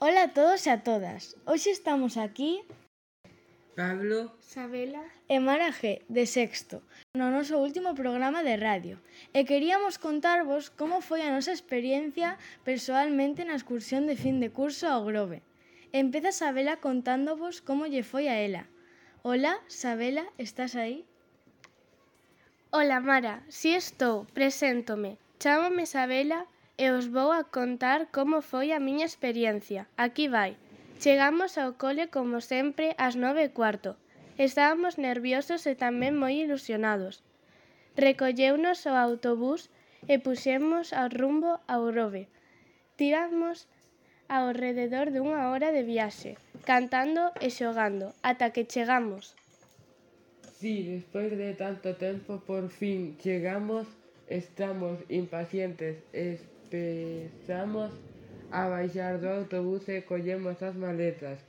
Ola a todos e a todas. Hoxe estamos aquí Pablo, Sabela e Mara G, de sexto, no noso último programa de radio. E queríamos contarvos como foi a nosa experiencia persoalmente na excursión de fin de curso ao Grove. Empeza Sabela contándovos como lle foi a ela. Ola, Sabela, estás aí? Ola Mara, si estou, preséntome. Chámome Sabela e os vou a contar como foi a miña experiencia. Aquí vai. Chegamos ao cole como sempre ás 9:15. Estábamos nerviosos e tamén moi ilusionados. Recolleunos o autobús e puxemos ao rumbo ao Grove. Tiramos ao rededor dunha hora de viaxe, cantando e xogando, ata que chegamos. sí, despois de tanto tempo por fin chegamos, estamos impacientes, empezamos a baixar do autobús e collemos as maletas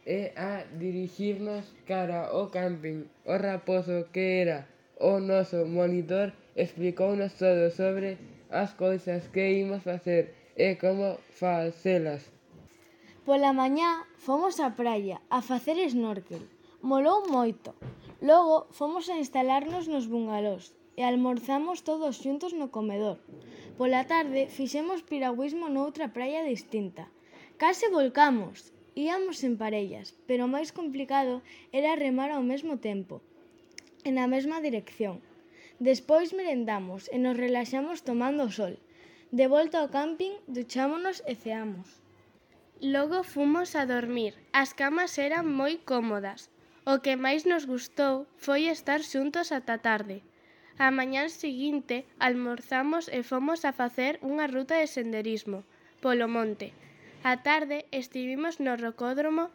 e a dirixirnos cara ao camping. O raposo que era o noso monitor explicounos todo sobre as cousas que imos facer e como facelas. Pola mañá fomos á praia a facer snorkel. Molou moito. Logo fomos a instalarnos nos bungalós e almorzamos todos xuntos no comedor. Pola tarde fixemos piragüismo noutra praia distinta. Case volcamos. Íamos en parellas, pero o máis complicado era remar ao mesmo tempo, e na mesma dirección. Despois merendamos e nos relaxamos tomando o sol. De volta ao camping, duchámonos e ceamos. Logo fomos a dormir. As camas eran moi cómodas. O que máis nos gustou foi estar xuntos ata tarde. A mañá seguinte almorzamos e fomos a facer unha ruta de senderismo polo monte. A tarde estivimos no rocódromo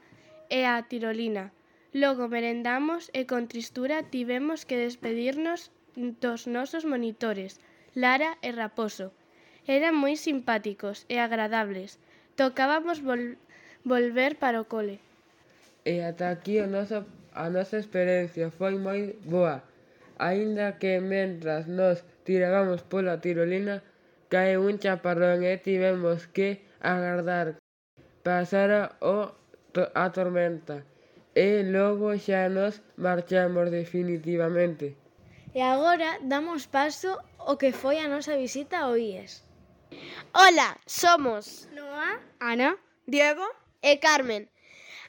e a tirolina. Logo merendamos e con tristura tivemos que despedirnos dos nosos monitores, Lara e Raposo. Eran moi simpáticos e agradables. Tocábamos volver para o cole. E ata aquí a nosa experiencia foi moi boa, aínda que mentras nos tirábamos pola tirolina caeu un chaparrón e tivemos que agardar pasara a tormenta e logo xa nos marchamos definitivamente. E agora damos paso ao que foi a nosa visita ao IES. Ola, somos Noa, Ana, Diego? e Carmen.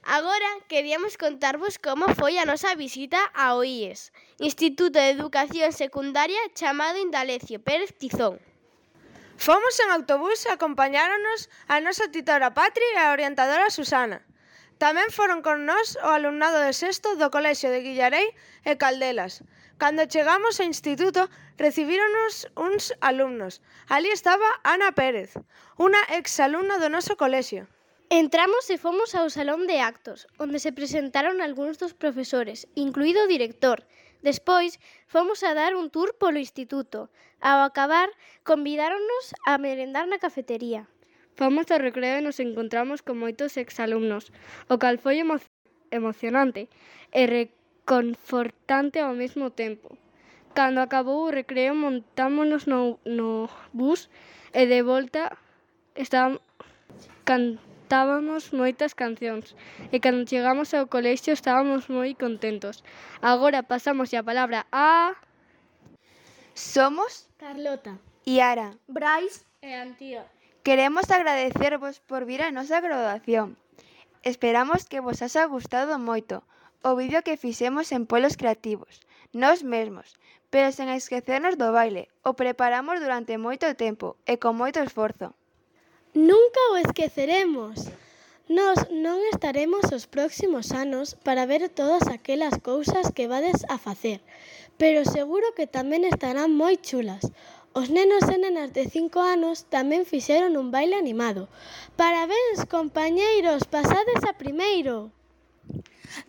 Agora queríamos contarvos como foi a nosa visita ao IES, Instituto de Educación Secundaria chamado Indalecio Pérez Tizón. Fomos en autobús e acompañáronos a nosa titora Patri e a orientadora Susana. Tamén foron con nós o alumnado de sexto do Colexio de Guillarei e Caldelas. Cando chegamos ao instituto, recibíronos uns alumnos. Ali estaba Ana Pérez, unha exalumna do noso colexio. Entramos e fomos ao salón de actos, onde se presentaron algúns dos profesores, incluído o director. Despois, fomos a dar un tour polo instituto. Ao acabar, convidáronnos a merendar na cafetería. Fomos ao recreo e nos encontramos con moitos exalumnos, o cal foi emocionante e reconfortante ao mesmo tempo. Cando acabou o recreo, montámonos no bus e de volta cantábamos moitas cancións e cando chegamos ao colexio estábamos moi contentos. Agora pasamos a palabra a Somos Carlota, Iara. Brais e Antía. Queremos agradecervos por vir á nosa graduación. Esperamos que vos haxa gustado moito o vídeo que fixemos en Polos Creativos, nós mesmos, pero sen esquecernos do baile. O preparamos durante moito tempo e con moito esforzo. Nunca o esqueceremos. Nós non estaremos os próximos anos para ver todas aquelas cousas que vades a facer, pero seguro que tamén estarán moi chulas. Os nenos e nenas de 5 anos tamén fixeron un baile animado. Parabéns, compañeiros, pasades a primeiro.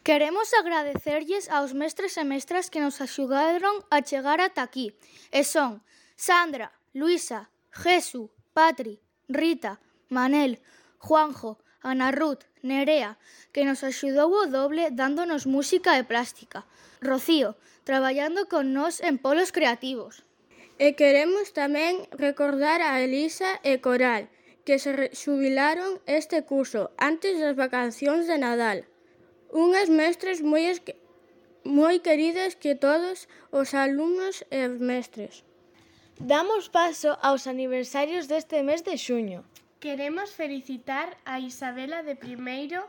Queremos agradecerlles aos mestres e mestras que nos axudaron a chegar ata aquí. E son Sandra, Luisa, Jesu, Patri, Rita, Manel, Juanjo, Ana Ruth, Nerea, que nos axudou o doble dándonos música e plástica. Rocío, traballando con nós en Polos Creativos. E queremos tamén recordar a Elisa e Coral, que se xubilaron este curso antes das vacacións de Nadal. Unhas mestres moi queridas que todos os alumnos e os mestres. Damos paso aos aniversarios deste mes de xuño. Queremos felicitar a Isabela de primeiro,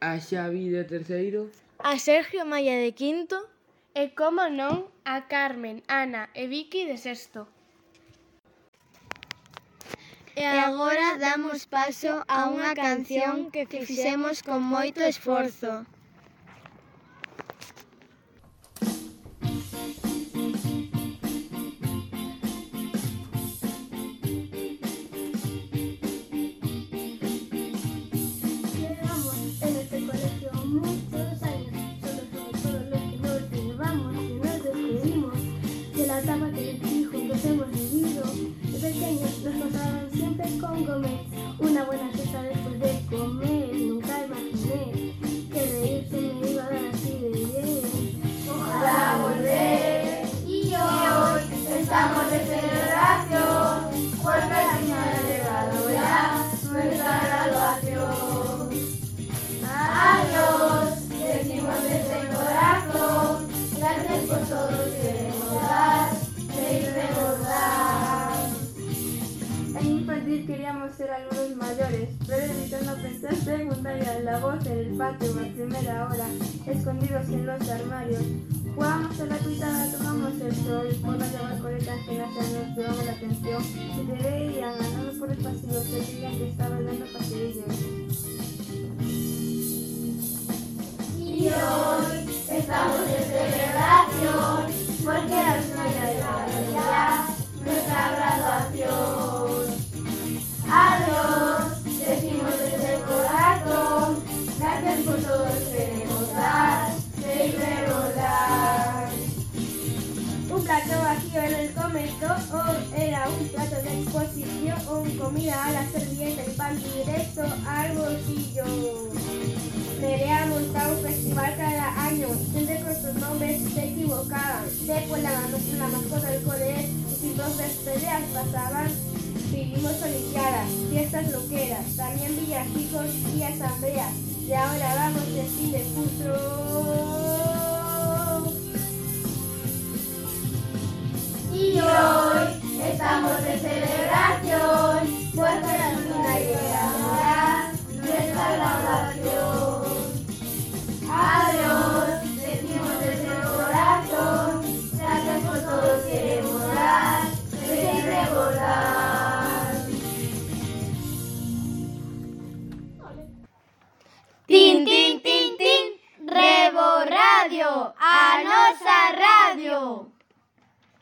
A Xavi de terceiro, A Sergio Maya de quinto e, como non, a Carmen, Ana e Vicky de sexto. E agora damos paso a unha canción que fixemos con moito esforzo. Llevamos en este colegio muchos años, solo somos todos los que nos llevamos y nos despedimos de la etapa que juntos hemos vivido. De pequeños nos pasaban siempre con comer, una buena cesta después de comer. Nunca imaginé que reírse me iba a dar así de bien. Ojalá volver. Y hoy estamos de celebración, porque al final ha llegado ya nuestra graduación. Adiós, decimos desde el corazón, gracias por todo que queremos dar, reír recordar. En infantil queríamos ser algunos mayores, pero evitando pensar secundaria, la voz en el patio a primera hora, escondidos en los armarios. Jugábamos a la cuitada, tomamos el sol, por no llevar coletas que nos llamaban la atención. Si te veían andando por el pasillo, se creían que estabas dando paseillos. Y hoy estamos de celebración, porque al final ha llegado ya nuestra graduación. Adiós, decimos desde el corazón, gracias por todo lo que queremos dar, reír recordar. Un plato vacío en el comedor era un plato de exposición, comida a la servilleta y pan directo al bolsillo. Nerea monta un festival cada año, siempre con sus nombres se equivocaban. Después la mascota del colegio y sus 2 peleas pasaban. Vivimos olimpiadas, fiestas loqueras, también villancicos y asambleas. Y ahora vamos de fin de curso. Y hoy estamos de celebración, porque al final llega nuestra graduación. Adiós, decimos desde el corazón, gracias por todo queremos dar, reír recordar. Tin, tin, tin, tin, Rebo Radio, a nosa radio.